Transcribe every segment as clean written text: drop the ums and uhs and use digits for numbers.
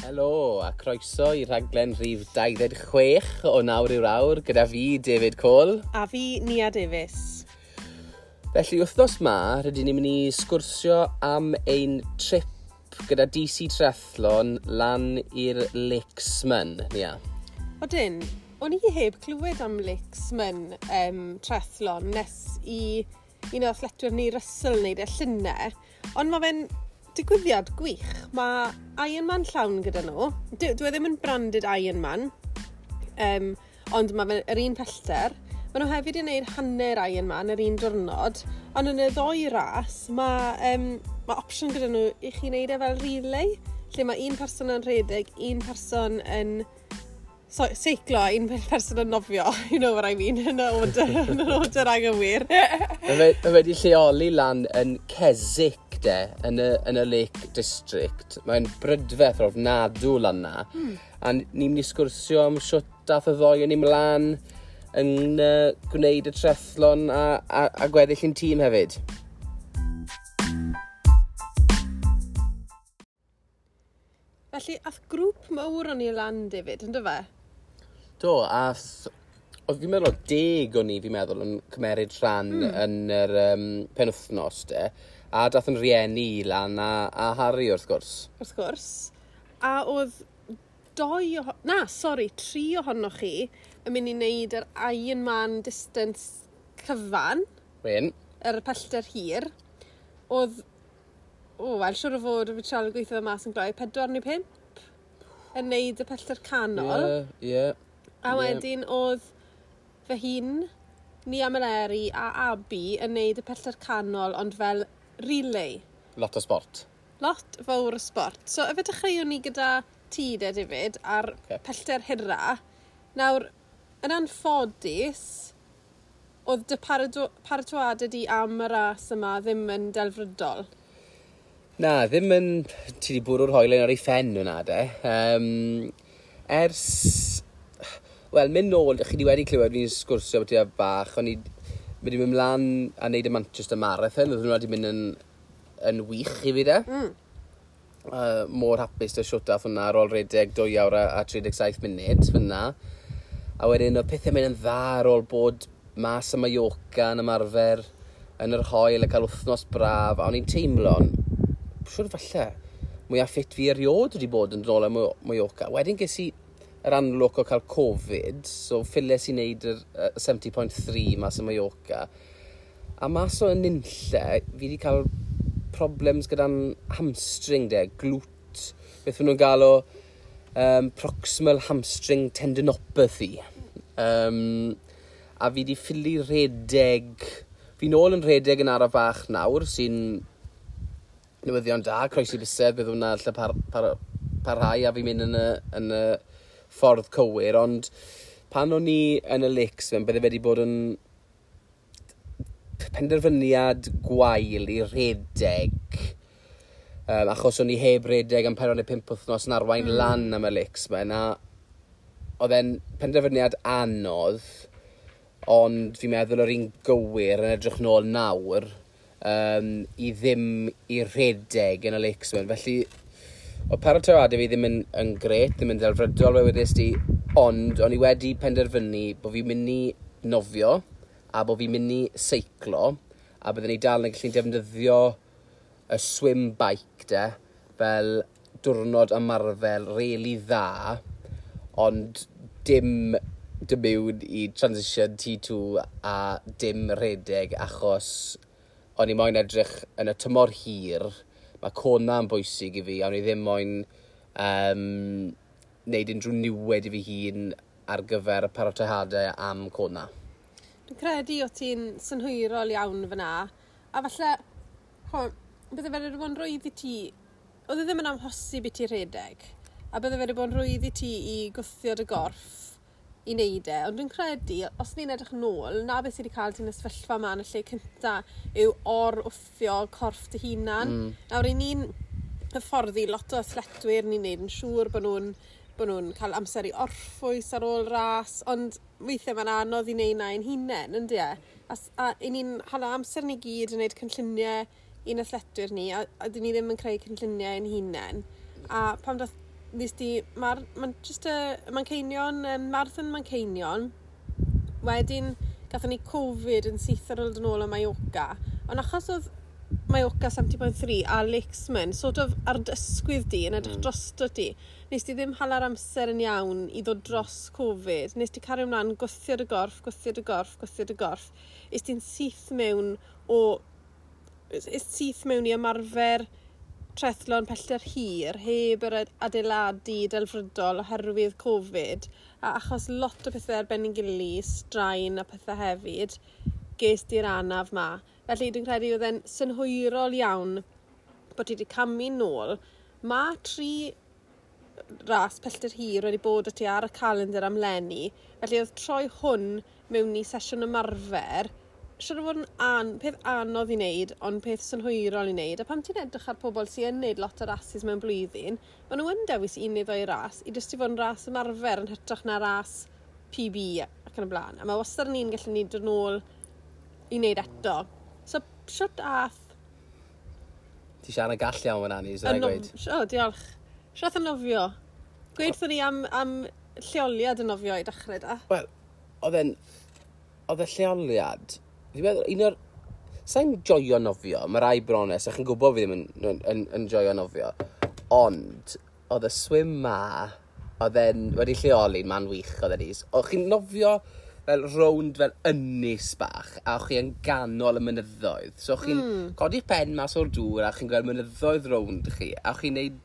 Helo a croeso i rhaglen rhif 26 o Nawr yw'r Awr gyda fi, David Cole. A fi, Nia Davies. Felly, wythnos ma, rydyn ni'n mynd i sgwrsio am ein trip gyda DC Triathlon lan i'r Lakesman, Nia. Odyn, o'n i heb clywed am Lakesman Triathlon nes i un o athletwyr ni Russell wneud e llynedd, ond mae fe'n digwyddiad gwych. Mae Ironman llawn gyda nhw. Dwi e ddim yn branded Ironman, ond mae fe'n yr un pellter. Maen nhw hefyd yn gwneud hanner Ironman yr un diwrnod, ond yn y ddoi ras, mae opsiwn gyda nhw i chi wneud e fel relay, lle mae un person yn rhedeg, un person yn seiclo, un person yn nofio, you know what I mean, yn y order, yn yr order anghywir. Mae wedi lleoli lan yn Keswick, de, yn y Lake District. Mae'n brydferth ofnadw lan na. A ni'n mynd i sgwrsio am siwt dath y ddoi yn ymlaen yn gwneud y triathlon a gweddill ein tîm hefyd. Felly, ath grŵp mawr o'n i lan, David, ynddo fe? Do, oedd fi'n meddwl 10 o'n i, fi'n meddwl, yn cymeryd rhan yn yr penwythnos, de. A dath yn rieni i lan a Harry, wrth gwrs. Wrth gwrs. A oedd doi, na, sori, tri ohonoch chi yn mynd i wneud yr Ironman distance cyfan. Wen. Yr pellter hir. Oedd, o, wel, siwr o fod, fi trial gweithio fe mas yn gloi, 4 neu 5 yn wneud y pellter canol. Ie, ie. A wedyn oedd fy hun, Nia Meleri a Abi yn wneud y pellter canol, ond fel relay. Lot o sport. Lot fawr o sport. So, efe dechreuwn ni gyda ti de, David, ar pellter hira. Nawr, yn anffodus, oedd dy paratoadau di am y ras yma ddim yn delfrydol. Na, ddim yn. Ti wedi bwrw'r hoelen ar ei phen hwnna, de. Ers... Wel, mynd nôl, chi wedi clywed fi'n sgwrsio beth i bach, o'n i wedi mynd mlaen a wneud y Manchester Marathon, oedd hwnna wedi mynd yn wych i fi, de. Mor hapus dy siwt ath hwnna ar ôl redeg 2 awr a 37 munud fyna. A wedyn oedd pethau mynd yn dda ar ôl bod mas ym Mallorca yn ymarfer yn yr haul a cael wythnos braf. A o'n i'n teimlo'n, siwr falle, mwyaf ffit fi erioed wedi bod yn dod ôl am Mallorca. Wedyn ges i yr anlwc o cael Covid, so ffiles i wneud yr 70.3 mas ym Mallorca. A mas o yn nunlle, fi wedi cael problems gyda'n hamstring de, glute, beth maen nhw'n gael o proximal hamstring tendinopathy. A fi wedi ffili redeg, fi nôl yn redeg yn araf bach nawr, sy'n newyddion da, croesi bysedd, bydd hwnna lle parhau a fi'n mynd yn y ffordd cywir, ond pan o'n i yn y Lakes, bydde wedi bod yn penderfyniad gwael i redeg, achos o'n i heb redeg am 4 neu 5 wythnos yn arwain lan am y Lakesman, a oedd e'n penderfyniad anodd, ond fi'n meddwl yr un gywir yn edrych nôl nawr i ddim i redeg yn y Lakesman. Felly, oedd paratoadau fi ddim yn gret, ddim yn delfrydol fel wedes di, ond o'n i wedi penderfynu bod fi'n mynd i nofio a bod fi'n mynd i seiclo a byddwn ni dal yn gallu defnyddio y swim bike de fel diwrnod ymarfer rili dda, ond dim dim mewn i transition T2 a dim rhedeg achos o'n i moyn edrych yn y tymor hir, mae Kona yn bwysig i fi, a o'n i ddim moyn neud unrhyw niwed i fi hun ar gyfer y paratoadau am Kona. Dwi'n credu o ti'n synhwyrol iawn fyna, a falle, ho, bydde fe wedi bod yn rwydd i ti, oedd e ddim yn amhosib i ti rhedeg, a bydde fe wedi bod yn rwydd i ti i gwthio dy gorff i wneud e, ond dwi'n credu, os ni'n edrych nôl, na beth sydd wedi cael ti'n y sefyllfa yma yn y lle cynta yw or-wthio corff dy hunan. Nawr, i ni'n hyfforddi lot o athletwyr, ni'n neud yn siŵr bod nhw'n cael amser i orffwys ar ôl ras, ond weithiau mae'n anodd i wneud na ein hunain, yndi e? A i ni'n hala amser ni gyd yn gwneud cynlluniau i'n athletwyr ni, a dyn ni ddim yn creu cynlluniau ein hunain. A pam dath Nes di Manchester, Manceinion, Marathon Manceinion. Wedyn, gathon ni Covid yn syth ar ôl dod nôl o Mallorca. Ond achos oedd Mallorca 70.3 a Lakesman sort of ar dy ysgwydd di, yn edrych drosto ti, nes di ddim hala'r amser yn iawn i ddod dros Covid. Nes di cario ymlaen gwthio dy gorff, gwthio dy gorff, gwthio dy gorff. Es ti'n syth mewn o... Es syth mewn i ymarfer triathlon pellter hir, heb yr adeiladu delfrydol oherwydd Covid, a achos lot o pethau ar ben ei gilydd, straen a pethau hefyd, ges di'r anaf ma. Felly dwi'n credu oedd e'n synhwyrol iawn bod ti wedi camu nôl. Mae tri ras pellter hir wedi bod o ti ar y calendar am leni, felly oedd troi hwn mewn i sesiwn ymarfer, siŵr o fod yn peth anodd i wneud, ond peth synhwyrol i wneud. A pam ti'n edrych ar pobl sy'n yn wneud lot o rases mewn blwyddyn, maen nhw yn dewis un neu ddoi ras i jyst i fod yn ras ymarfer yn hytrach na ras PB ac yn y blaen. A mae wastad yn un gallu ni dod nôl i wneud eto. So, siwt ath... Ti siarad gall iawn fan Annie, sy'n gweud. O, diolch. Siwt ath y nofio? Gweud wrthon ni am lleoliad y nofio i dechrau da. Wel, oedd y lleoliad... Fi'n meddwl, un o'r... Sa'n joio nofio, mae rai brones, a chi'n gwybod fi ddim yn joio nofio. Ond, oedd y swim ma, oedd e'n wedi lleoli'n man wych oedd e'n is. O'ch chi'n nofio fel rownd fel ynys bach, a o'ch chi yn ganol y mynyddoedd. So o'ch chi'n codi'ch pen mas o'r dŵr, a o'ch chi'n gweld mynyddoedd rownd chi, a o'ch chi'n neud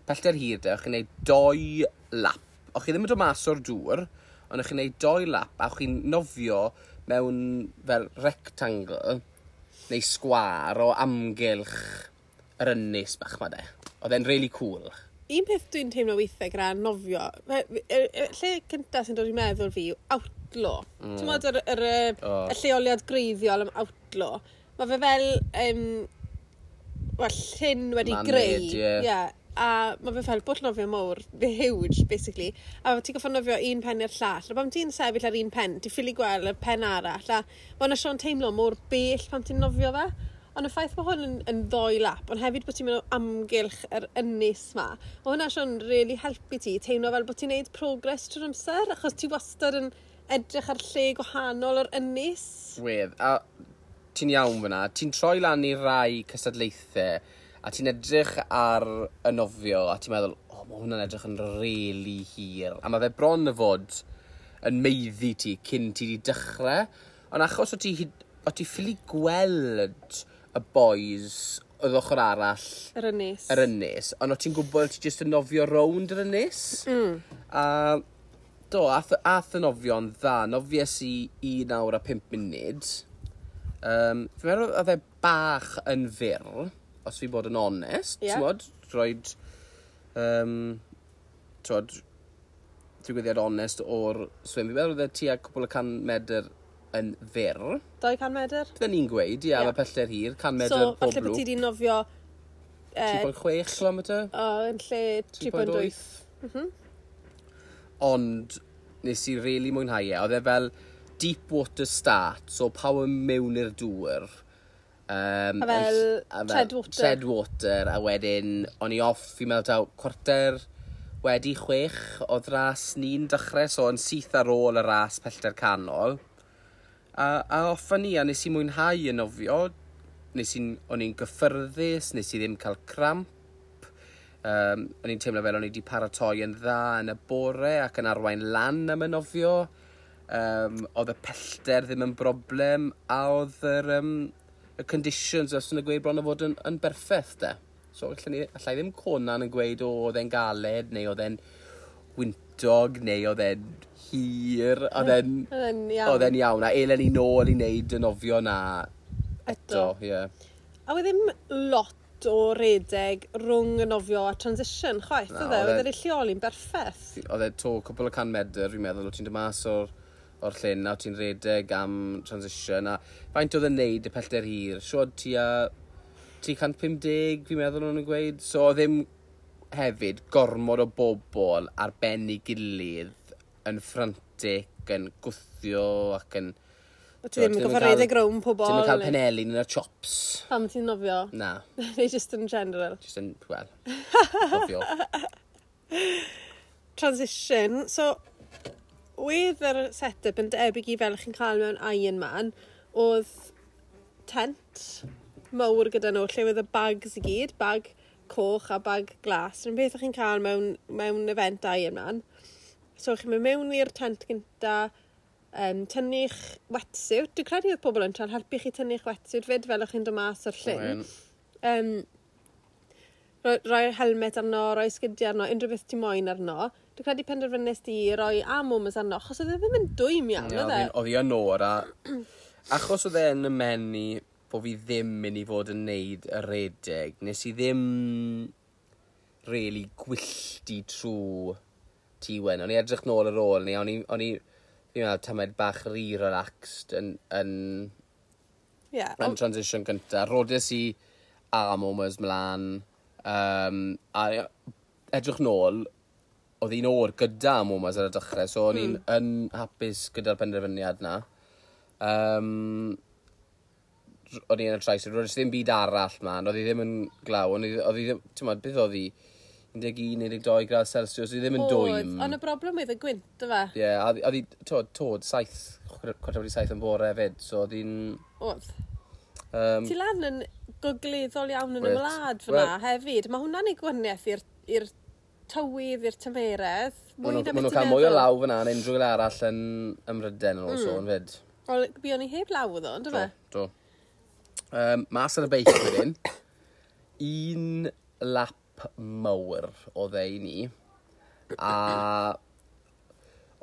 pellter hir de, o'ch chi'n neud 2 lap. O'ch chi ddim yn dod mas o'r dŵr, ond o'ch chi'n neud 2 lap, a o'ch chi'n nofio mewn fel rectangle neu sgwâr o amgylch yr ynys bach ma de. Oedd e'n really cool. Un peth dwi'n teimlo weithiau gyda nofio, lle cynta sy'n dod i meddwl fi yw Outlaw. Ti'n meddwl y lleoliad greiddiol am Outlaw. Mae fe fel, wel, llyn wedi Man-made, greu. ie. Ie. A mae fe fel bwll nofio mowr, huge, basically. A ti'n gorfod nofio un pen i'r llall. A pan ti'n sefyll ar un pen, ti'n ffili gweld y pen arall. A mae yna Sion teimlo mor bell pan ti'n nofio fe. Ond y ffaith bod hwn yn 2 lap, ond hefyd bod ti'n mynd o amgylch yr ynys ma, mae hwnna Sion really helpu ti, teimlo fel bod ti'n neud progress trwy'r amser, achos ti wastad yn edrych ar lle gwahanol o'r ynys. Wedd, a ti'n iawn fyna, ti'n troi lan i rai cystadlaethau, a ti'n edrych ar y nofio, a ti'n meddwl, o, mae hwnna'n edrych yn really hir. A mae fe bron y fod yn meiddi ti cyn ti di dechrau. Ond achos o ti ffili gweld y boys oedd ochr arall Yr ynys. Yr ynys, ond o ti'n gwybod ti jyst yn nofio rownd yr ynys. A do, ath y nofio'n dda. Nofies i 1 awr a 5 munud. Fi'n meddwl oedd e bach yn fyr, os fi bod yn onest, t'mod, roed, t'mod, digwyddiad onest o'r swim. Fi'n meddwl oedd e tua cwpl o 100 medr yn fyr. 200 medr? Bydden ni'n gweud, ie, mae pellter hir, 100 medr So, pob falle bod lwp. ti 'di nofio, 3.6 kilometr? O, yn lle 3.8. Ond nes i really mwynhau e. Oedd e fel deep water start, so pawb yn mewn i'r dŵr. A fel A fel treadwater. Treadwater, a wedyn o'n i off, fi'n meddwl taw 6:15 oedd ras ni'n dechrau, so yn syth ar ôl y ras pellter canol. A off â ni, a nes i mwynhau y nofio. O'n i'n gyffyrddus, nes i ddim cael cramp. O'n i'n teimlo fel o'n i wedi paratoi yn dda yn y bore ac yn arwain lan am y nofio. Oedd y pellter ddim yn broblem, a oedd y conditions, os yn y gweud bron o fod yn berffaith de. So allai ddim conan yn gweud, o, oedd e'n galed, neu oedd e'n wyntog, neu oedd e'n hir, Oedd e'n iawn. oedd e'n iawn. A elen ni nôl i wneud y nofio na eto. Eto. Ie. A oedd ddim lot o redeg rhwng y nofio a transition, chwaith, Na, oedd e? oedd e- Oedd e'n lleoli'n berffaith. Oedd e to cwpl o 100 medr, fi'n meddwl, o ti'n dod mas o'r llyn a ti'n redeg am transition. A faint oedd e'n neud y pellter hir? Siwr tua 350, fi'n meddwl o'n nhw'n gweud. So oedd ddim hefyd gormod o bobl ar ben ei gilydd yn frantic, yn gwthio ac yn... O ti ddim yn Ti'n gorfod cael- redeg rownd pobl. Ti'n cael neu- penelin yn y chops. Pam ti'n nofio? Na, Neu just in general. just yn, wel, nofio. Transition. So, oedd yr set-up yn debyg i fel chi'n cael mewn Ironman, oedd tent mawr gyda nhw, lle oedd y bags i gyd, bag coch a bag glas. Rwy'n beth o'ch chi'n cael mewn event Ironman. So, chi'n mynd mewn i'r tent gynta, tynnu'ch wetsuit. Dwi'n credu oedd pobl yn treial helpu chi tynnu'ch wetsuit fyd fel o'ch chi'n dod mas o'r llyn. Rhoi'r helmet arno, rhoi sgidiau arno, unrhyw beth ti moyn arno. Dwi'n credu penderfynnes di roi arm warmers arno, achos oedd e ddim yn dwym iawn, oedd e? Oedd hi yn oer, a achos oedd e yn y menu bod fi ddim mynd i fod yn neud y redeg, nes i ddim really gwylltu trwy Tŷ Wen. O'n i edrych nôl ar ôl ni, o'n i, fi'n meddwl, tamed bach rhy relaxed yn transition gynta. Rodes i arm warmers mlaen, a edrych nôl, oedd hi'n oer gyda arm warmers ar y dechrau, so o'n i'n yn hapus gyda'r penderfyniad na. O'n i yn y trais, roedd ddim byd arall man, oedd hi ddim yn glaw, oedd hi ddim, ti'n modd, beth oedd hi, 11, 12 gradd Celsius, oedd hi ddim yn dwym. Ond y broblem oedd y gwynt, yfe? Ie, yeah, a oedd hi, tod, 7, 7:45 yn bore hefyd, so oedd hi'n Oedd. Ti lan yn gogleddol iawn yn y wlad fyna hefyd. Mae hwnna'n ei gwahaniaeth i'r tywydd, i'r tymeredd. Maen nhw'n cael mwy o law fyna yn unrhyw le arall ym Mhrydain yn ôl sôn fyd. Wel, buon ni heb law ddo, on'd yfe? Do. Mas ar y beic wedyn, un lap mawr oedd e i ni, a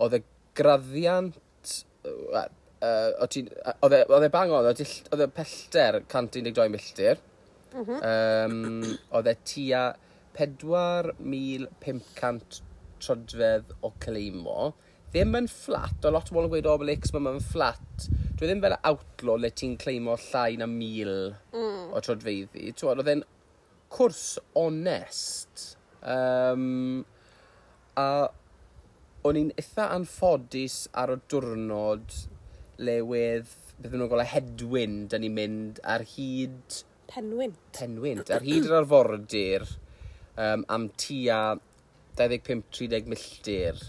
oedd y graddiant, oedd e bang on, oedd e pellter 112 milltir, oedd e tua 4,500 troedfedd o cleimo. Ddim yn fflat, o lot o bobl yn gweud, "O, Lakes, mae'n fflat." Dwi ddim fel Outlaw le ti'n cleimo llai na 1,000 o troedfeddi. T'wod, oedd e'n cwrs onest. A o'n i'n eitha anffodus ar y diwrnod le wedd, beth nhw'n gael, headwind, da ni'n mynd ar hyd Penwynt. Penwynt, ar hyd yr arfordir am tua 25-30 milltir.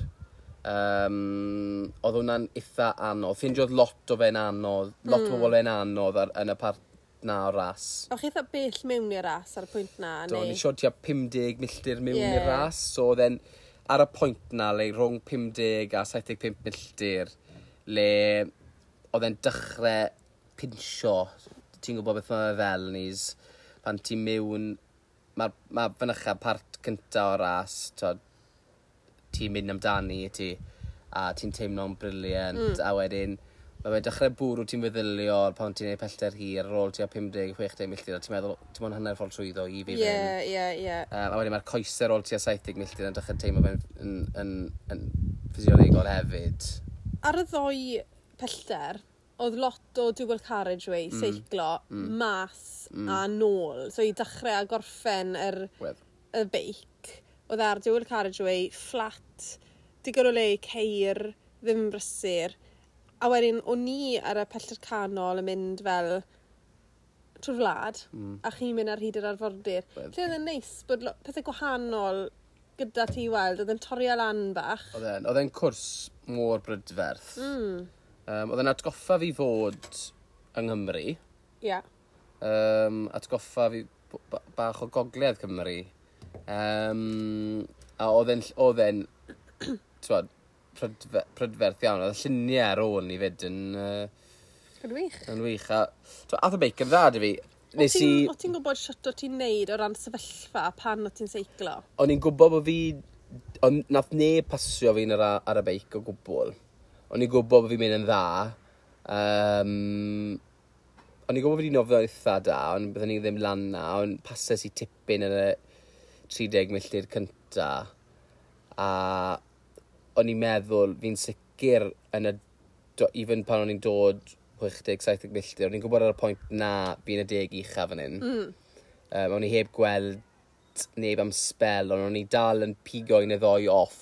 Oedd hwnna'n eitha anodd. Ffindiodd lot o fe'n anodd, lot o bobl fe'n anodd yn y part na o'r ras. O'ch chi eitha bell mewn i'r ras ar y pwynt na? Do, ni siod tua 50 milltir mewn i'r ras, so oedd e'n ar y pwynt na, le rhwng 50 a 75 milltir, le oedd e'n dechrau pinsio. Ti'n gwybod beth mae fe fel, nis, pan ti'n mewn, mae fynycha part cynta o'r ras, t'od, ti'n mynd amdani ti, a ti'n teimlo'n brilliant, a wedyn, mae fe'n dechrau bwrw ti'n feddyliol pan ti'n neud pellter hir ar ôl tua 50-60 milltir, a ti'n meddwl, ti'n mwyn hanner ffordd trwyddo i fi fynd. Ie, ie. A wedyn mae'r coesau ar ôl tua 70 milltir yn dechrau teimlo fe'n yn ffisiolegol hefyd. Ar y ddoi pellter, oedd lot o dual carriageway, seiclo, mas a nôl. So i dechrau a gorffen Wedd. y beic, oedd ar dual carriageway, flat, digon o le i ceir, ddim yn brysur. A wedyn, o'n ni ar y pellter canol yn mynd fel trwy'r wlad, a chi'n mynd ar hyd yr arfordir. Wedd. Lle oedd e'n neis bod pethau gwahanol gyda ti i weld, oedd e'n torri lan bach. Oedd e'n cwrs mor brydferth. Oedd e'n atgoffa fi fod yng Nghymru. Atgoffa fi bach o gogledd Cymru. A oedd e'n, t'wod, prydferth iawn. Oedd y lluniau ar ôl ni fyd Yn wych. yn wych. A, t'wod, ath y beic yn dda dy fi. Nes i O ti'n gwybod shwt o ti'n neud o ran sefyllfa pan o ti'n seiclo? O'n i'n gwybod bod fi. Ond nath neb pasio fi ar y beic o gwbl. O'n i'n gwybod bod fi'n mynd yn dda. O'n i'n gwybod bod fi'n nofio eitha da, ond byddwn ni ddim lan na, ond pases i tipyn yn y 30 milltir cynta. A o'n i'n meddwl fi'n sicr yn y... Even pan o'n i'n dod 60-70 milltir, o'n i'n gwybod ar y pwynt na fi'n y 10 ucha fan hyn. O'n i heb gweld neb am spel, ond o'n i dal yn pigo un neu ddoi off.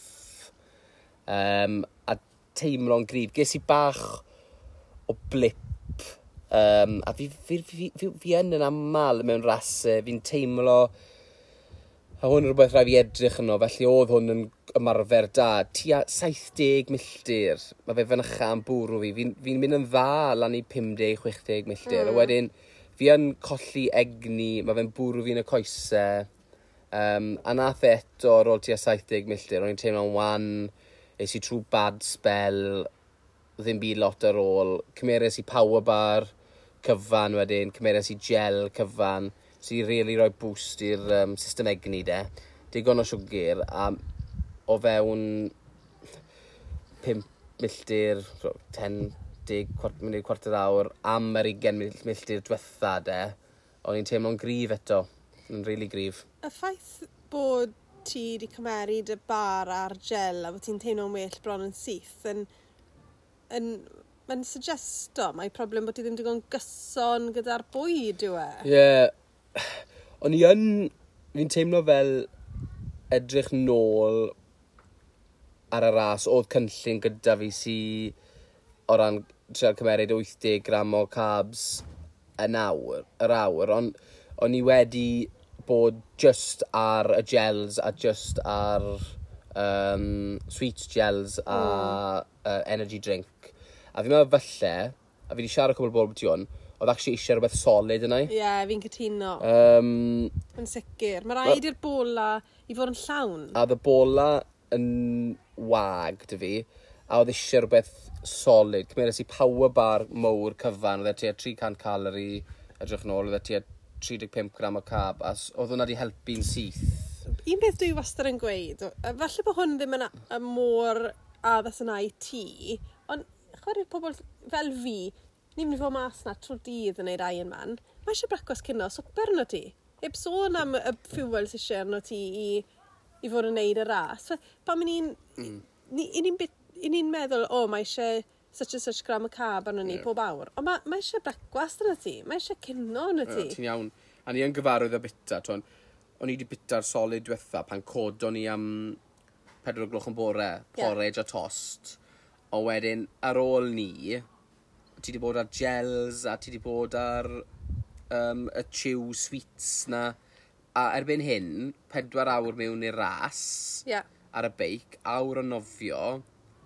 A teimlo'n gryf. Ges i bach o blip. A fi yn aml mewn rasau, fi'n teimlo A hwn yn rhywbeth rhaid fi edrych yno, felly oedd hwn yn ymarfer da. Tua 70 milltir, mae fe fynycha am bwrw fi. Fi'n fi mynd yn dda lan i 50-60 milltir. A wedyn, fi yn colli egni, mae fe'n bwrw fi yn y coesau. A nath e eto ar ôl tua 70 milltir, o'n i'n teimlo'n wan, es i trwy bad spell, ddim byd lot ar ôl. Cymeres i power bar cyfan wedyn, cymeres i gel cyfan, sy'n really rhoi boost i'r system egni de. Digon o siwgr, a o fewn 5 milltir, so, 10, 10, munud, cwarter awr, am yr 20 milltir diwetha de, o'n i'n teimlo'n gryf eto, yn really gryf. Y ffaith bod ti wedi cymeryd y bar a'r gel a bod ti'n teimlo'n well bron yn syth yn, mae'n suggesto mae problem bod ti ddim digon gyson gyda'r bwyd yw e. Ie, yeah. O'n i yn, fi'n teimlo fel edrych nôl ar y ras, oedd cynllun gyda fi sy o ran trial cymeryd 80 gram o carbs yn awr, yr awr, ond o'n i wedi bod just ar y gels a just ar sweet gels a energy drink. A fi'n meddwl falle, a fi wedi siarad cwbl o bobl beth hwn, oedd actually eisiau rhywbeth solid yna i. Ie, yeah, fi'n cytuno. Yn sicr. Mae rhaid i'r bola i fod yn llawn. A oedd y bola yn wag 'da fi, a oedd eisiau rhywbeth solid. Cymeres i power bar mowr cyfan, oedd e tua 300 calorie, edrych nôl, oedd e tua 35 gram o carb, a oedd hwnna wedi helpu'n syth. Un peth dwi wastad yn gweud, falle bod hwn ddim yn mor addas yna i ti, ond chwarae'r pobl fel fi, ni'n mynd i fod mas na trwy'r dydd yn neud Ironman, mae eisiau brecwast cino, swper arno ti. Heb sôn am y fuel sy'n eisiau arno ti i fod yn neud y ras. Pan ni'n meddwl, o, mae eisiau such and such gram o carb arno ni pob awr. Ond mae eisiau brecwast arno ti, mae eisiau cino arno ti. Ti'n iawn. A ni yn gyfarwydd â bita, t'won, o'n i wedi bita'r solid diwetha pan codon ni am 4 o gloch yn bore, porridge a tost. O wedyn, ar ôl ni, ti wedi bod ar gels a ti wedi bod ar y chew sweets na. A erbyn hyn, 4 awr mewn i'r ras, ar y beic, awr o nofio,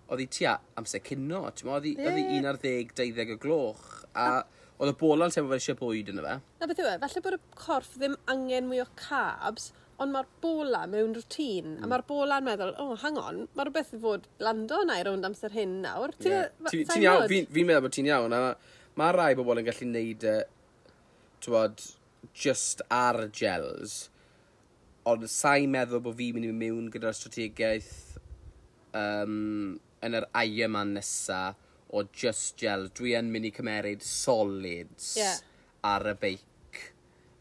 oedd hi tua amser cino, ti'n mo, oedd hi 11, 20 o gloch, a oedd y bola'n teimlo fel eisiau bwyd yna fe. Na beth yw e, falle bod y corff ddim angen mwy o carbs, ond mae'r bola mewn routine, a mae'r bola'n meddwl, oh, hang on, mae rhywbeth i fod lando na i rownd amser hyn nawr. Ti'n Ti'n iawn, fi'n meddwl bod ti'n iawn, a mae rai bobl yn gallu neud y, t'wod, just ar gels, ond sa'n meddwl bod fi'n mynd i mynd mewn gyda'r strategaeth yn yr Ironman nesa o just gels. Dwi yn mynd i cymeryd solids ar y beic.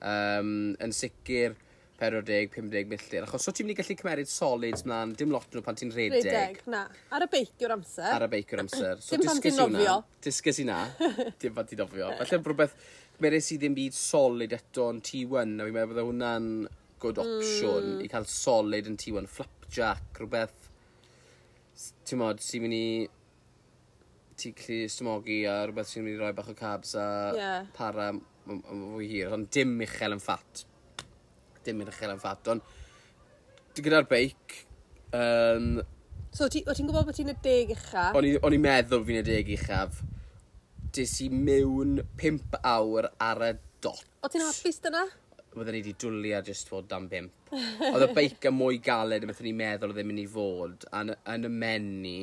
Yn sicr 40-50 milltir. Achos so ti'n mynd i gallu cymeryd solids mlaen, dim lot nhw pan ti'n rhedeg. Rhedeg, na. Ar y beic yw'r amser. Ar y beic yw'r amser. So Dim pan ti'n disgus i hwnna. nofio. Disgus i na. Dim pan ti'n nofio. Falle rhywbeth, cymeres i ddim byd solid eto yn T1, a fi'n meddwl bydde hwnna'n good option i cael solid yn T1. Flapjack, rhywbeth, ti'n mod, sy'n mynd i ti gallu stymogi a rhywbeth sy'n mynd i roi bach o carbs a para fwy hir, ond dim uchel yn fat. Dim uchel yn fat, ond gyda'r beic, So, o ti'n gwybod bod ti'n y 10 ucha? O'n i'n meddwl fi'n y 10 uchaf. Des i mewn 5 awr ar y dot. O ti'n hapus dyna? Byddwn ni wedi dwlu ar just fod dan 5. Oedd y beic yn mwy galed yn beth o'n i'n meddwl oedd e'n mynd i fod. A yn y menu,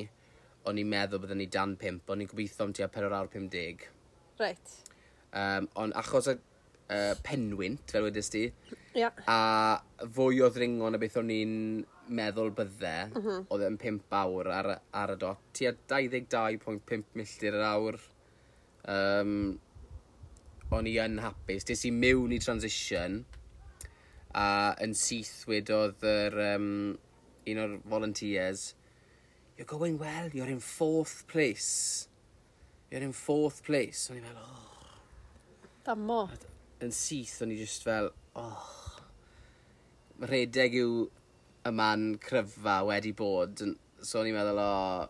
o'n i'n meddwl byddwn ni dan 5, o'n i'n gobeithio am tua 4 awr 50. Ond achos y penwynt, fel wedys ti, a fwy o ddringo na beth o'n i'n meddwl bydde, oedd e'n 5 awr ar y dot. Tua 22.5 milltir yr awr. O'n i yn hapus. Des i mewn i transition, a yn syth wedodd un o'r volunteers, "You're going well, you're in fourth place. You're in fourth place." O'n i fel, oh. Damo. Yn syth, o'n i just fel, oh. Rhedeg yw y man cryfa wedi bod. So o'n i'n meddwl, oh.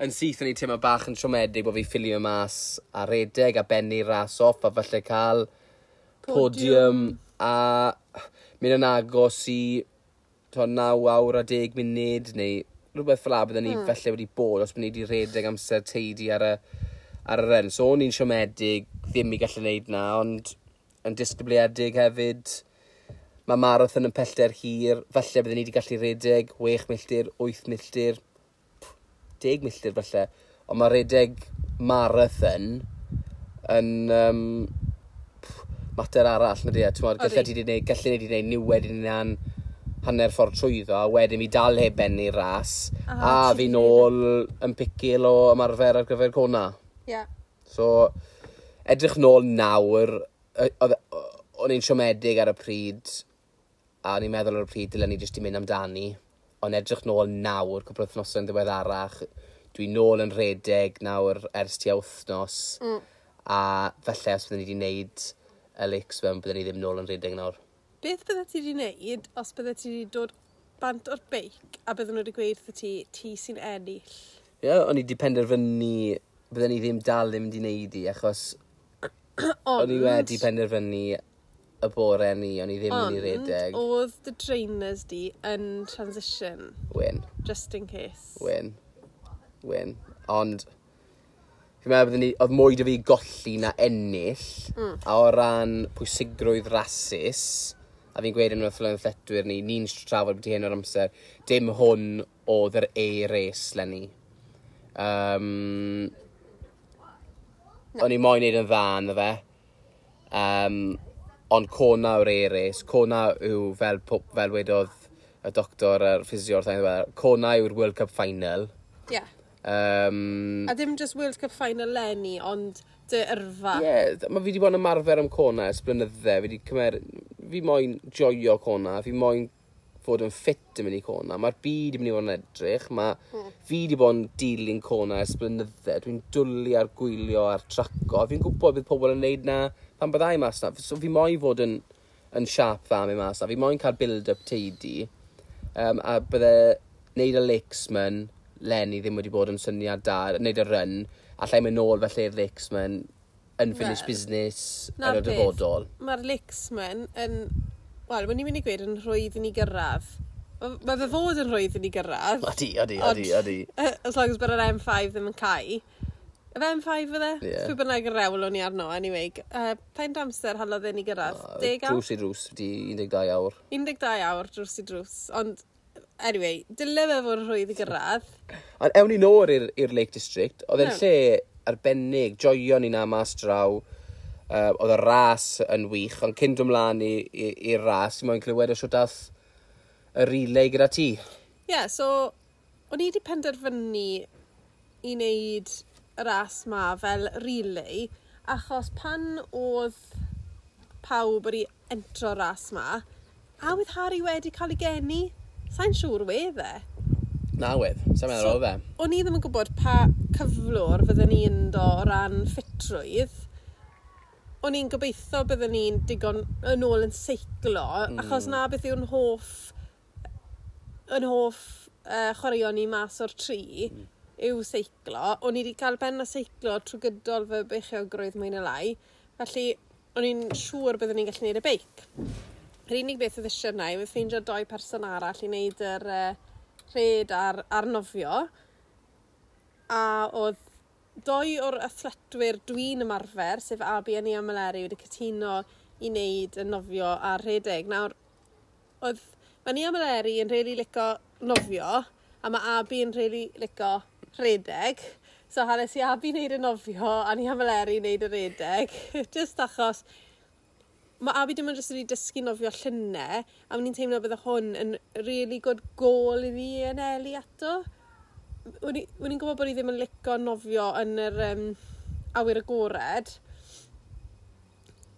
Yn syth o'n i'n teimlo bach yn siomedig bod fi ffilio mas a redeg a bennu ras off a falle cael podium. A mynd yn agos i 9 awr a 10 munud neu rhywbeth fel 'a bydden ni falle wedi bod os byddwn ni wedi rhedeg amser teidi ar y run. So o'n i'n siomedig ddim i gallu gwneud na, ond yn disgybliedig hefyd. Mae marathon yn pellter hir, falle bydden ni wedi gallu rhedeg 6 milltir, 8 milltir, 10 milltir falle. Ond mae rhedeg marathon yn mater arall, na di e? T'mod, Odi. gallu ti 'di neud, gallu ni 'di neud niwed i'n hunan hanner ffordd trwyddo, a wedyn fi dal heb bennu'r ras, A a ti fi 'di nôl yn picil o ymarfer ar gyfer Kona. So, edrych nôl nawr, o'n i'n siomedig ar y pryd, a o'n i'n meddwl ar y pryd dylen ni jyst i mynd amdani. Ond edrych nôl nawr, cwpl o wythnosau yn ddiweddarach, dwi nôl yn rhedeg nawr ers tua wythnos. A falle os byddwn ni wedi wneud y Lakesman, byddwn ni ddim nôl yn rhedeg nawr. Beth bydde ti wedi wneud os bydde ti wedi dod bant o'r beic a bydden nhw wedi gweud wrtho ti, ti sy'n ennill? Ie, yeah, o'n i wedi penderfynu bydden ni ddim dal ddim wedi wneud i, achos o'n i wedi penderfynu y bore ni, o'n i ddim yn mynd i redeg. Oedd dy trainers di yn transition, Wyn, just in case. wyn, wyn. Ond, fi'n meddwl bydden ni, oedd mwy 'da fi golli na ennill, a o ran pwysigrwydd rasus, a fi'n gweud yn wrth athletwyr ni, ni'n trafod beth hyn o'r amser, dim hwn oedd yr A-race 'leni. O'n i moyn neud yn dda ynddo fe. Ond Kona yw'r A-race. Kona yw, fel wedodd y doctor a'r ffisio wrth ein, Kona yw'r World Cup Final. Yeah. A dim just World Cup final leni, ond dy yrfa. Ie, yeah, mae fi wedi bod yn ymarfer am Kona ers blynydde. Fi wedi cymer... Fi moyn joio Kona, fi moyn fod yn ffit yn mynd i Kona. Mae'r byd yn mynd i fod yn edrych. Mae fi wedi bod yn dilyn Kona ers blynydde. Dwi'n dwlu ar gwylio ar traco. Fi'n gwybod bydd pobl yn neud na pan byddai mas na. So fi moyn fod yn siap dda mynd mas na. Fi moyn cael build-up teidi. A bydde neud y Lakesman leni ddim wedi bod yn syniad da, neud y run, allai mynd nôl felly i'r Lakesman, unfinished Wel, business yn na'r y peth. dyfodol. Mae'r Lakesman yn... Wel, mae'n i'n mynd i gweud yn rhwydd i ni gyrraedd. Mae fe fod yn rhwydd i ni gyrraedd. Odi, odi, odi, odi. As long as bod yr M5 ddim yn cau. Yfe M5 fydde? Ie. Pwy bynnag yr rewl o'n i arno, anyway. Faint amser halodd e ni gyrraedd? 10 awr? Drws i drws, di 12 awr. 12 awr drws i drws. Ond, anyway, dyle fe fod yn rhwydd i gyrraedd. Ond ewn ni nôl i'r Lake District. Oedd e'n Iawn. lle arbennig, joio ni na mas draw. Oedd y ras yn wych, ond cyn dod mlaen i'r ras, i moyn clywed o siwt ath y relay gyda ti. Ie, yeah, so, o'n i wedi penderfynu i wneud y ras ma fel relay, achos pan oedd pawb wedi entro ras ma, a oedd Harry wedi cael ei geni, sa'n siŵr wedd e. Na wedd, sa'n meddwl So- oedd e. O'n i ddim yn gwybod pa cyflwr fydden ni'n ynddo o ran ffitrwydd. O'n i'n gobeithio bydden ni'n digon yn ôl yn seiclo, achos na beth yw'n hoff chwaraeon ni mas o'r tri, yw seiclo. O'n i wedi cael ben a seiclo trwy gydol fy beichiogrwydd mwy na lai, felly o'n i'n siŵr bydden ni'n gallu neud y beic. Yr unig beth oedd eisiau yna yw ffeindio doi person arall i wneud yr rhed a'r nofio. A oedd doi o'r athletwyr dwi'n ymarfer, sef Abi a Nia Maleri, wedi cytuno i wneud y nofio a'r rhedeg. Nawr, oedd, mae Nia Maleri yn rili lico nofio, a mae Abi yn rili lico rhedeg. So hales i Abi wneud y nofio a Nia Maleri wneud y rhedeg. Just achos mae Abi dim ond jyst wedi dysgu nofio llynau, a o'n i'n teimlo bydde hwn yn really good goal iddi anelu ato. O'n i'n gwybod bod i ddim yn lico nofio yn yr awyr agored,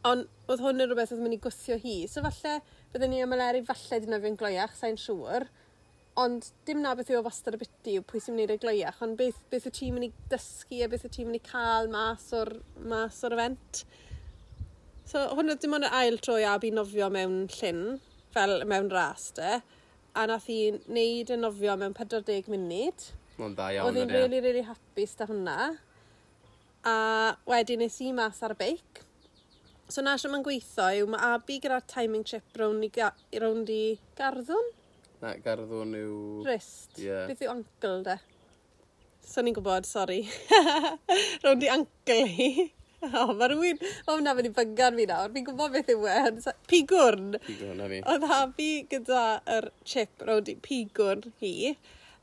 ond oedd hwn yn rhywbeth oedd yn mynd i gwthio hi. So falle bydden ni a Meleri falle di nofio'n gloiach, sa'n siŵr. Ond dim na beth yw o wastad y biti yw pwy sy'n mynd i wneud y gloiach, ond beth wyt ti'n mynd i dysgu a beth wyt ti'n mynd i cael mas o'r event. So hwn oedd dim ond yr ail tro i Abi nofio mewn llyn, fel mewn ras de, a nath hi wneud y nofio mewn 40 munud. Mae'n dda iawn. Oedd hi'n ydi e? really, really hapus da hwnna. A wedyn nes i mas ar y beic. So na sio mae'n gweithio yw mae Abi gyda'r timing chip rownd i garddwn? Na, garddwn yw... Wrist. Ie. Beth yw ankle de? So ni'n gwybod, sori. Rownd i ankle hi. O, mae rhywun... O, na, mynd i bygan fi nawr. Fi'n gwybod beth yw e. Pigwrn. Pigwrn, na fi. Oedd Abi gyda yr chip rownd i pigwrn hi.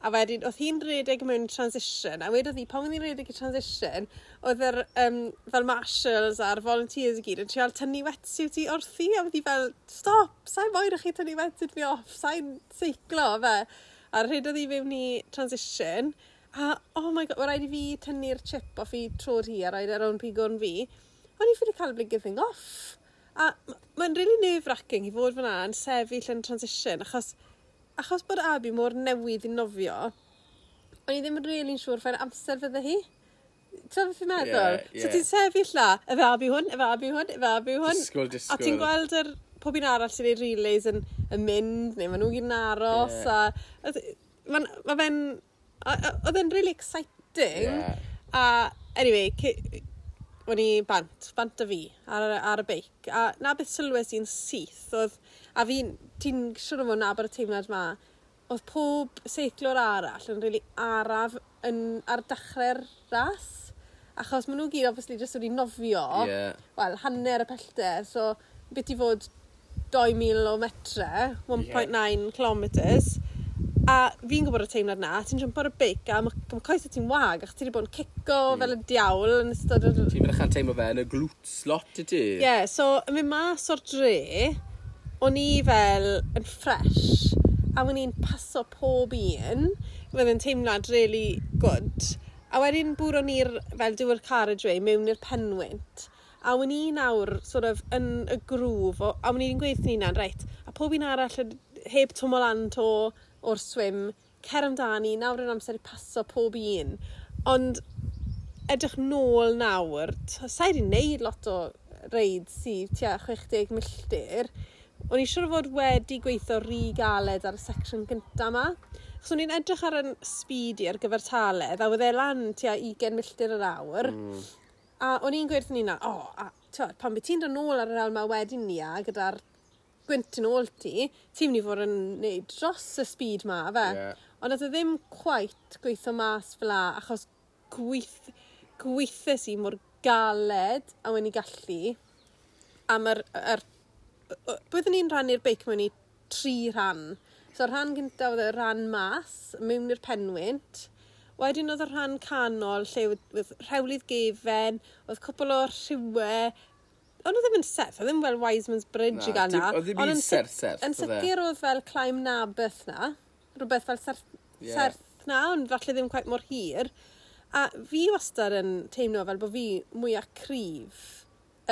A wedyn, oedd hi'n rhedeg mewn transition, a wedodd hi, pan oedd hi'n rhedeg i transition, oedd yr, fel marshals a'r volunteers i gyd yn trial tynnu wetsuit hi wrthi, a oedd hi fel, stop, sa'n moyn i chi tynnu wetsuit fi off, sa'n seiclo, fe. A rhedodd hi fewn i transition, a oh my god, mae rhaid i fi tynnu'r chip off i trod hi a rhaid ar rownd pigwrn fi. O'n i ffili cael y blinking thing off. A mae'n really nerve-wracking i fod fyna yn sefyll yn transition, achos bod Abi mor newydd i nofio, o'n i ddim yn really'n siŵr faint amser fydde hi. Ti'n beth fi'n meddwl? Ie, So ie. ti'n sefyll la, efe Abi hwn, efe Abi hwn, efe Abi hwn. Disgwyl, A ti'n disgwyl. gweld yr pob un arall sy'n neud relays yn mynd, neu maen nhw gyd yn aros. Ie. A, ma fe'n... Oedd e'n really exciting. Ie. A anyway, o'n i bant a fi ar y beic. A na beth sylwes i'n syth oedd, a fi'n, ti'n siŵr o fod nabod y teimlad ma, oedd pob seiclwr arall yn really araf ar dechrau'r ras. Achos maen nhw gyd obviously jyst wedi nofio, wel, hanner y pellter, so beth i fod 2,000 o metre, 1.9 kilometres. A fi'n gwybod y teimlad na, ti'n jumpo ar y beic a ma coesau ti'n wag, achos ti wedi bod yn cico fel y diawl yn ystod yr... Ti'n mynd teimlo fe yn y glutes lot i ti? Ie, yeah, so yn mynd mas o'r dre, o'n i fel yn fresh, a o'n i'n paso pob un, fydd yn teimlad really good. A wedyn bwron ni'r, fel dyw'r carriageway, mewn i'r penwynt. A o'n i nawr sort of yn y groove, a o'n i'n gweud wrth ni'n reit, a pob un arall heb twmo lan to o'r swim, cer amdani, nawr yw'r amser i paso pob un. Ond edrych nôl nawr, sa i 'di wneud lot o reids sydd tua 60 milltir. O'n i siŵr o fod wedi gweithio rhy galed ar y section gynta 'ma. Achos o'n i'n edrych ar yn speed i ar gyfer taledd, a oedd e lan tua 20 milltir yr awr. A o'n i'n gweud wrth ni'n o, a, t'wod, pan bydd ti'n dod nôl ar yr awr 'ma wedyn ni a gyda'r gwynt yn ôl ti, ti'n mynd i fod yn neud dros y speed 'ma, fe. Ond oedd e ddim quite gweithio mas fel 'a, achos gweithes i mor galed a o'n i gallu. A mae'r... Byddwn ni'n rhannu'r beic mewn i 3 rhan. So rhan gyntaf oedd y rhan mas, mewn i'r penwynt. Wedyn oedd y rhan canol lle oedd rhewlydd gefen, oedd cwpl o rhiwe. Ond oedd ddim yn serth, oedd ddim fel Wiseman's Bridge Na, i gael na. oedd ddim Ond un serth serth, Yn oedd e? sicr oedd fel climb Nabeth na, rhywbeth fel serth, serth na, ond falle ddim quite mor hir. A fi wastad yn teimlo fel bod fi mwyaf cryf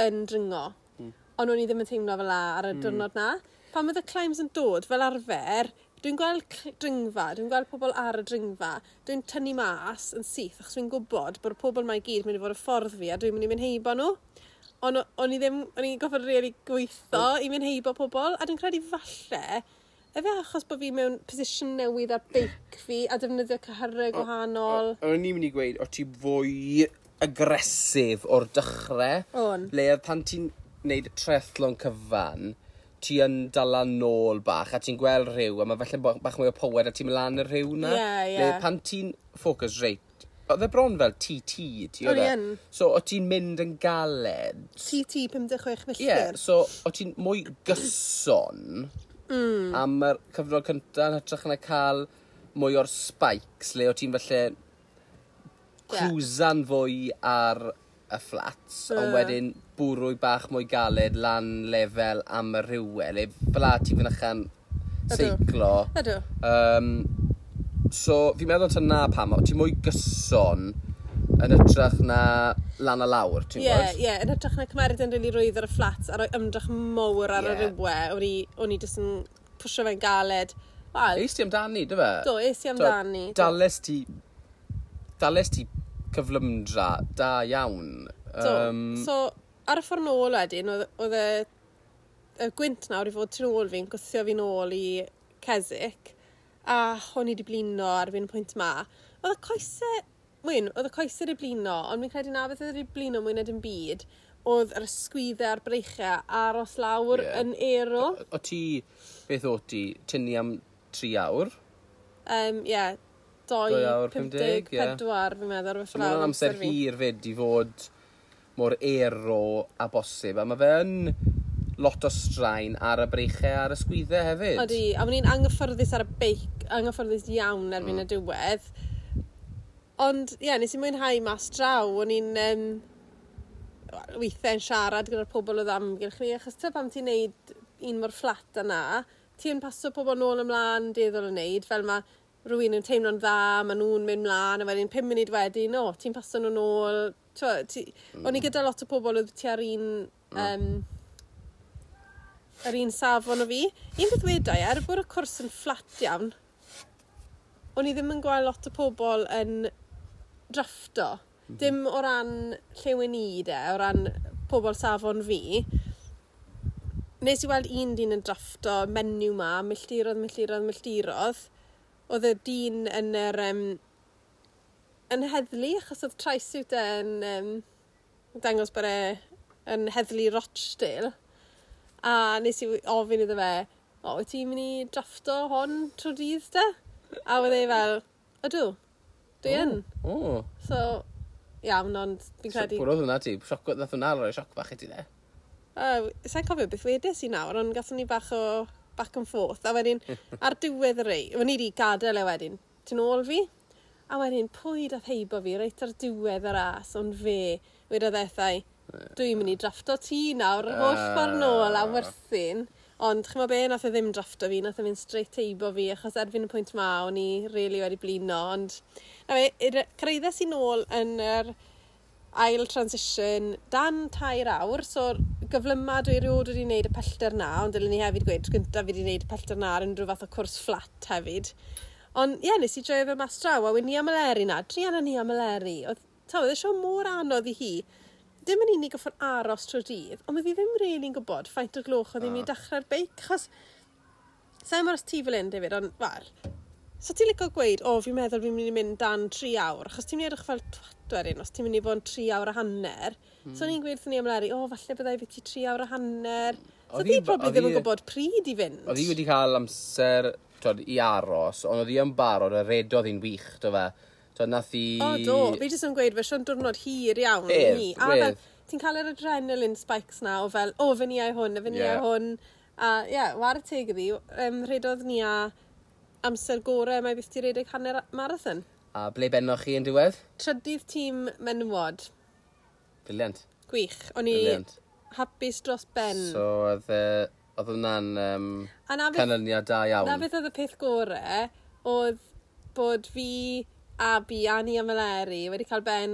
yn dringo. Ond o'n i ddim yn teimlo fel la ar y diwrnod na. Pan oedd y climbs yn dod fel arfer, dwi'n gweld dringfa, dwi'n gweld pobl ar y dringfa, dwi'n tynnu mas yn syth, achos dwi'n gwybod bod y pobl mae i gyd mynd i fod y ffordd fi a dwi'n mynd i mynd heibo nhw. Ond o'n i ddim, o'n i'n gorfod really gweithio i mynd heibo pobl, a dwi'n credu falle, efe achos bod fi mewn position newydd ar beic fi a defnyddio cyhyrau gwahanol. O'n i'n mynd i gweud, o ti fwy agresif o'r dechrau. O'n. Le oedd pan ti'n neud triathlon cyfan, ti yn dala nôl bach, a ti'n gweld rhyw, a mae falle bach mwy o power, a ti'n mynd lan y rhyw na. Ie, ie. Le pan ti'n focus reit, oedd e bron fel TT, ti O'n oedd i e? yn. So, o ti'n mynd yn galed. TT 56 Ie, milltir. so o ti'n mwy gyson am yr cyfnod cyntaf yn hytrach na cael mwy o'r spikes, le o ti'n falle cruisan fwy ar y flats, ond wedyn bwrw bach mwy galed lan lefel am y rhywle, le fel 'a ti'n fynychan seiclo. Ydw. So, fi'n meddwl ta na pam, o ti'n mwy gyson yn hytrach na lan a lawr, ti'n Ie, gwybod? ie, yn hytrach na cymeryd yn rili rwydd ar y fflat a rhoi ymdrech mowr ar y rywle, o'n i jyst yn pwsio fe'n galed. Wel, Eis ti amdani, dy fe? Do, es i amdani. Do. Dales ti cyflymdra da iawn. Do. So, ar y ffordd nôl wedyn, oedd y gwynt nawr i fod tu ôl fi'n gwthio fi nôl i Keswick, a o'n i wedi blino ar fi'n pwynt ma. Oedd y coesau, mwyn, oedd y coesau wedi blino, ond fi'n credu na beth oedd wedi blino mwy na dim byd, oedd yr ysgwyddau a'r breichau aros lawr yn aero. O ti, beth o ti, tynnu am 3 awr? Ie, 2:54 fi'n meddwl. So mae'n amser hir fyd i fod mor aero a bosib, a mae fe yn lot o straen ar y breichau a'r ysgwyddau hefyd. Odi, a o'n i'n anghyffyrddus ar y beic, anghyffyrddus iawn erbyn y diwedd. Ond, ie, yeah, nes i mwynhau mas draw. O'n i'n weithiau'n siarad gyda'r pobl oedd amgylch ni, achos ta pam ti'n neud un mor fflat yna, ti'n paso pobl nôl ymlaen dueddol o wneud, fel mae rhywun yn teimlo'n dda, maen nhw'n mynd mlaen, a wedyn 5 munud wedyn, o, ti'n paso nhw nôl. O'n i gyda lot o pobl oedd tua'r un, yr un safon o fi. Un peth wedai, er bod y cwrs yn fflat iawn, o'n i ddim yn gweld lot o pobl yn drafto. Dim o ran lle wen i de, o ran pobl safon fi. Nes i weld un dyn yn drafto menyw ma, milltirodd, milltirodd, milltirodd. Oedd y dyn yn yr, yn heddlu, achos oedd trisuit e yn dangos bod e yn heddlu Rochdale. A nes i ofyn iddo fe, o, wyt ti'n mynd i drafto hon trwy dydd de? A oedd e fel, ydw, dwi yn. O. So, iawn, ond fi'n credu. Pwy oedd hwnna ti? Sioc, nath hwnna roi sioc bach i ti de? Sa'n cofio beth wedes i nawr, ond gathon ni bach o back and forth. A wedyn, ar diwedd y rei, o'n i wedi gadael e wedyn, tu nôl fi. A wedyn, pwy dath heibo fi reit ar diwedd y ras, ond fe, wedodd ethau, dwi'n mynd i drafto ti nawr, yr holl ffordd nôl am Werthin. Ond ch'mo be, nath e ddim drafto fi, nath e mynd straight heibo fi, achos erbyn y pwynt ma, o'n i really wedi blino. Ond, na fe, cyrhaeddes i nôl yn yr ail transition dan 3 awr, so gyflyma dwi erioed wedi wneud y pellter na, ond dylen ni hefyd gweud, tro gyntaf fi wedi wneud y pellter na ar unrhyw fath o cwrs fflat hefyd. Ond ie, yeah, nes i joio fe mas draw, a wedyn Nia Meleri na, druan â Nia Meleri. Oedd, ta, oedd e sio mor anodd i hi. Dim yn unig goffod aros trwy'r dydd, ond oedd hi ddim really'n gwybod faint o'r gloch oedd hi'n mynd i dechrau'r beic, achos sa'n mor os ti fel un, David, ond, wel, so ti'n licio gweud, o, fi'n meddwl fi'n mynd i mynd dan 3 awr, achos ti'n mynd i edrych fel twat wedyn, os ti'n mynd i fod yn 3 awr a hanner. So o'n i'n gweud wrth Nia Meleri, o, falle byddai fi ti 3 awr a hanner. So Oedd hi hi- probably oedd ddim yn hi- gwybod pryd i fynd. Oedd hi wedi cael amser twod, i aros, ond oedd hi yn barod, a redodd hi'n wych, do fe. Twod, nath hi. O, do. Fi jyst yn gweud, fe sio'n diwrnod hir iawn i Wedd, ni. A fel, wedd. ti'n cael yr adrenaline spikes na o fel, o, fy ni hwn, a fy ni hwn. A ie, yeah, whare teg iddi, rhedodd ni a amser gorau mae byth ti redeg hanner marathon. A ble bennoch chi yn diwedd? Trydydd tîm menywod. Brilliant. Gwych. O'n i Brilliant. hapus dros ben. So, oedd oedd hwnna'n A na beth, canlyniad da iawn. na beth oedd y peth gorau, oedd bod fi, Abi, a Nia Meleri wedi cael ben,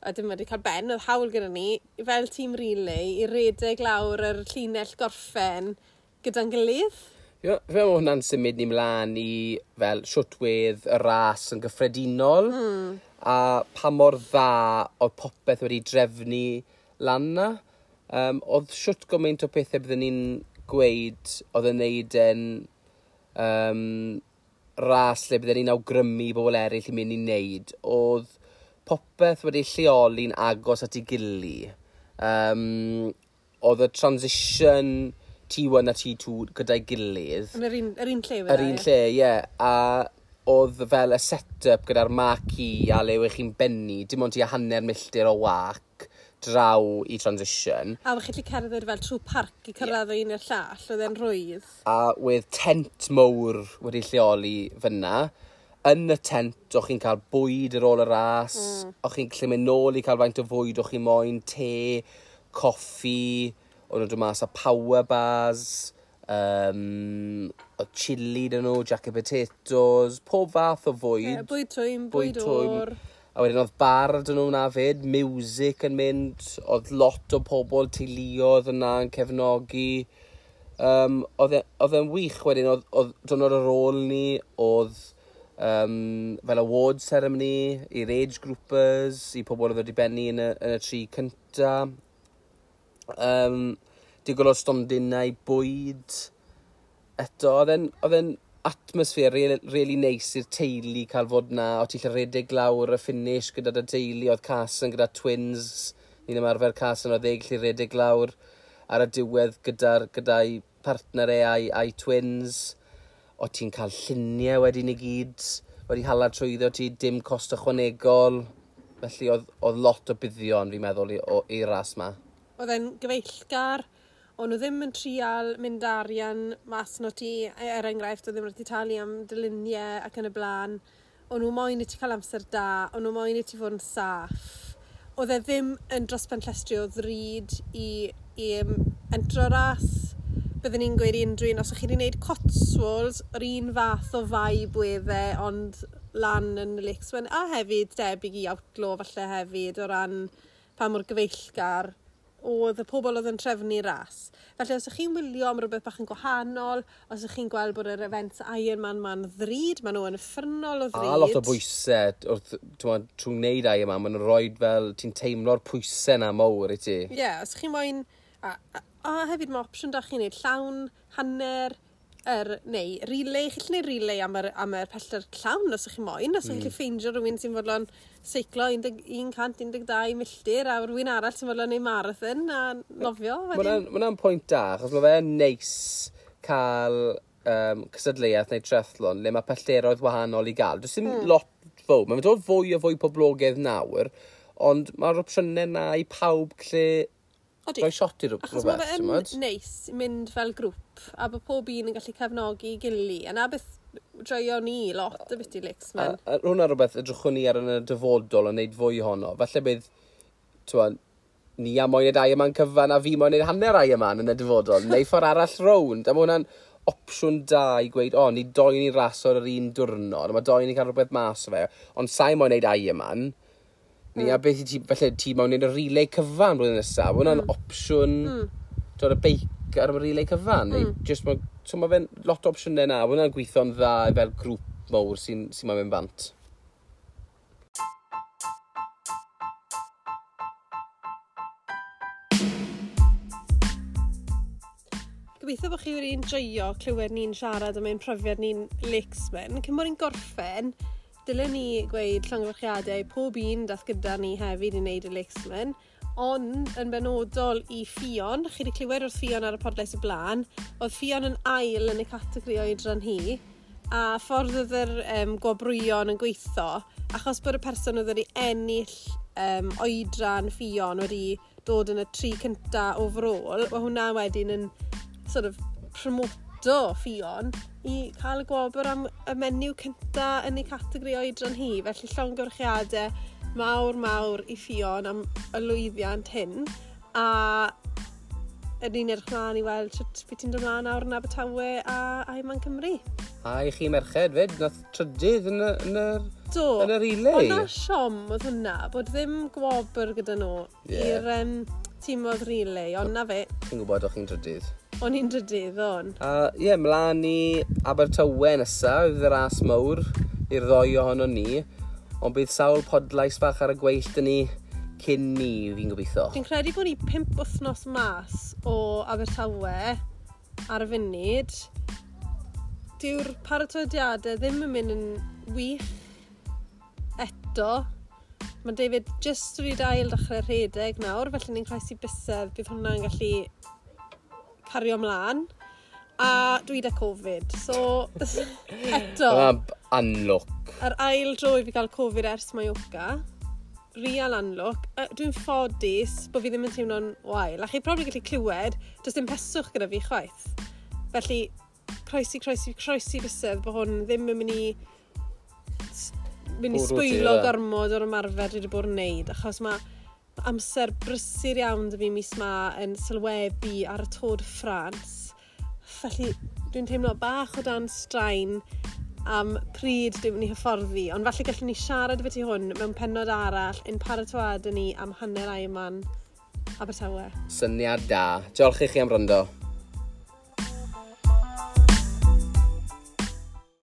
a dim wedi cael ben, oedd hawl gyda ni, fel tîm relay, i redeg lawr yr llinell gorffen gyda'n gilydd. Fi'n meddwl bod hwnna'n symud ni mlaen i fel shwt wedd y ras yn gyffredinol a pa mor dda oedd popeth wedi drefnu lan na. Oedd shwt gymaint o pethau byddwn ni'n gweud oedd yn neud yn ras lle byddwn ni'n awgrymu i bobl eraill i mynd i wneud. Oedd popeth wedi lleoli'n agos at ei gili. Oedd y transition T1 a T2 gyda'i gilydd. Yn yr un lle Yr un lle, ie. A oedd fel y set-up gyda'r marquee a le wych chi'n bennu, dim ond tua hanner milltir o wac draw i transition. A o'ch chi'n gallu cerdded fel trwy parc i cyrraedd o un i'r llall, oedd e'n rhwydd. A wedd tent mowr wedi lleoli fyna. Yn y tent, o'ch chi'n cael bwyd ar ôl y ras, o'ch chi'n gallu mynd nôl i cael faint o fwyd o'ch chi'n moyn, te, coffi, o'n nhw'n dod mas â power bars, oedd chili dyn nhw, jacket potatoes, pob fath o fwyd. Ie, bwyd twym, bwyd twym. oer. A wedyn oedd bar dyn nhw na fyd, music yn mynd, oedd lot o pobl teuluoedd yna yn cefnogi. Oedd e'n wych wedyn, oedd diwrnod ar ôl ni, oedd fel award ceremony i'r age groupers, i pobl oedd wedi bennu yn y tri cynta. Digon o stondinau bwyd. Eto, oedd e'n atmosphere really, really neis i'r teulu cael fod na. O ti'n gallu redeg lawr y finish gyda dy teulu, oedd Carson gyda twins Ni'n ymarfer cas yn o ddeg lle redeg lawr ar y diwedd gyda'i gyda partner e a'i twins. O ti'n cael lluniau wedyn i gyd, wedi hala trwyddo ti, dim cost ychwanegol. Felly oedd lot o buddion, fi'n meddwl, i'r ras ma. Oedd e'n gyfeillgar, o'n nhw ddim yn trial mynd arian mas no ti, er enghraifft, oedd ddim wedi talu am dyluniau ac yn y blaen. O'n nhw moyn i ti cael amser da, o'n nhw moyn i ti fod yn saff. Oedd e ddim yn dros ben llestri o ddrud i entro ras. Byddwn ni'n gweud i unrhyw un, os ych chi wedi gwneud Cotswolds, yr un fath o vibe wedd e, ond lan yn y Lakes One, a hefyd debyg i Outlaw falle hefyd, o ran pa mor gyfeillgar oedd y pobl oedd yn trefnu ras. Felly os ych chi'n wylio am rhywbeth bach yn gwahanol, os ych chi'n gweld bod yr event Ironman ma'n ddrud, maen nhw yn uffernol o ddrud. A lot o bwysau wrth, trwy wneud Ironman, maen nhw'n rhoi fel, ti'n teimlo'r pwysau na mawr i ti. Ie, yeah, os chi'n moyn, a hefyd mae opsiwn da chi'n neud llawn, hanner, neu relay, chi'n gallu neud relay am yr pellter llawn os ych chi moyn, os ych chi'n gallu ffeindio rhywun sy'n fodlon seiclo 112 milltir a rhywun arall sy'n fodlon neud marathon a nofio. Mae hwnna'n pwynt da, achos mae fe'n neis cael cystadleuaeth neu triathlon le mae pellteroedd wahanol i gael. Does dim lot fawr, mae'n dod fwy o fwy poblogaidd nawr, ond mae'r opsiynau na i pawb lle rhoi shot i rhywbeth. Achos mae fe'n neis mynd fel grŵp a bod pob un yn gallu cefnogi gili. A na beth joio ni lot y bit i Lakesman. A hwnna rhywbeth edrychwn ni ar yn y dyfodol yn neud fwy ohono. Falle bydd, t'wod, ni a moyn neud Ironman cyfan a fi moyn neud hanner Ironman yn y dyfodol. Neu ffordd arall rownd. A mae hwnna'n opsiwn da i gweud, o, ni doi ni raso ar yr un diwrnod, a mae doi ni cael rhywbeth mas o fe, ond sa'i moyn neud Ironman. Ni a beth i ti, falle ti moyn neud y relay cyfan blwyddyn nesaf. Mae hwnna'n opsiwn, dod y beic ar y relay cyfan. Neu just, so mae fe'n lot o opsiynau na. Mae hwnna'n gweithio'n dda fel grŵp mawr sy moyn mynd bant. Gobeithio bod chi wedi enjoio clywed ni'n siarad am ein profiad ni'n Lakesman. Cyn bod ni'n gorffen, dylen ni gweud llongyfarchiadau pob un dath gyda ni hefyd i wneud y Lakesman, ond yn benodol i Ffion, chi wedi clywed wrth Ffion ar y podlediad y blaen, oedd Ffion yn ail yn y categori oedran hi, a ffordd oedd yr gwobrwyon yn gweithio, achos bod y person oedd wedi ennill oedran Ffion wedi dod yn y 3 cynta overall, mae hwnna wedyn yn sort of promoto Ffion i cael y gwobr am y menyw cynta yn ei categori oedran hi. Felly llongyfarchiadau mawr mawr i Ffion am y lwyddiant hyn. A ydyn ni'n edrych mlaen i weld sut beth ti'n dod mlaen nawr yn Abertawe a Ironman Cymru. A i chi merched fyd, nath trydydd Do. yn y relay. Ond na siom oedd hwnna, bod ddim gwobr gyda nhw i'r tîm oedd relay, ond na fe. Chi'n gwybod o'ch chi'n trydydd. O'n i'n drydydd, o'n. A ie, mlaen i Abertawe nesaf, fydd y ras mawr i'r ddoi ohono ni. Ond bydd sawl podlais bach ar y gweill dyn ni cyn ni, fi'n gobeithio. Dwi'n credu bod ni 5 wythnos mas o Abertawe ar y funud. Dyw'r paratoediadau ddim yn mynd yn wych eto. Mae David jyst wedi ail dechrau rhedeg nawr, felly ni'n croesi bysedd, bydd hwnna'n gallu cario ymlaen. A dwi 'da Covid, so eto. Hwnna'n anlwc. Yr ail dro i fi gael Covid ers Mallorca. Real anlwc. Dwi'n ffodus bod fi ddim yn teimlo'n wael. A chi probably gallu clywed, does dim peswch gyda fi chwaith. Felly, croesi, croesi, croesi bysedd bod hwn ddim yn mynd i Bwrw ti, sbwylo ie. gormod o'r ymarfer dwi wedi bod yn neud, achos mae amser brysur iawn 'da fi mis ma yn sylwebu ar y Tour de France. Felly dwi'n teimlo bach o dan straen am pryd dwi'n mynd i hyfforddi, ond falle gallwn ni siarad beth i hwn mewn pennod arall yn paratoad ni am hanner Ironman Abertawe. Syniad da. Diolch i chi am wrando.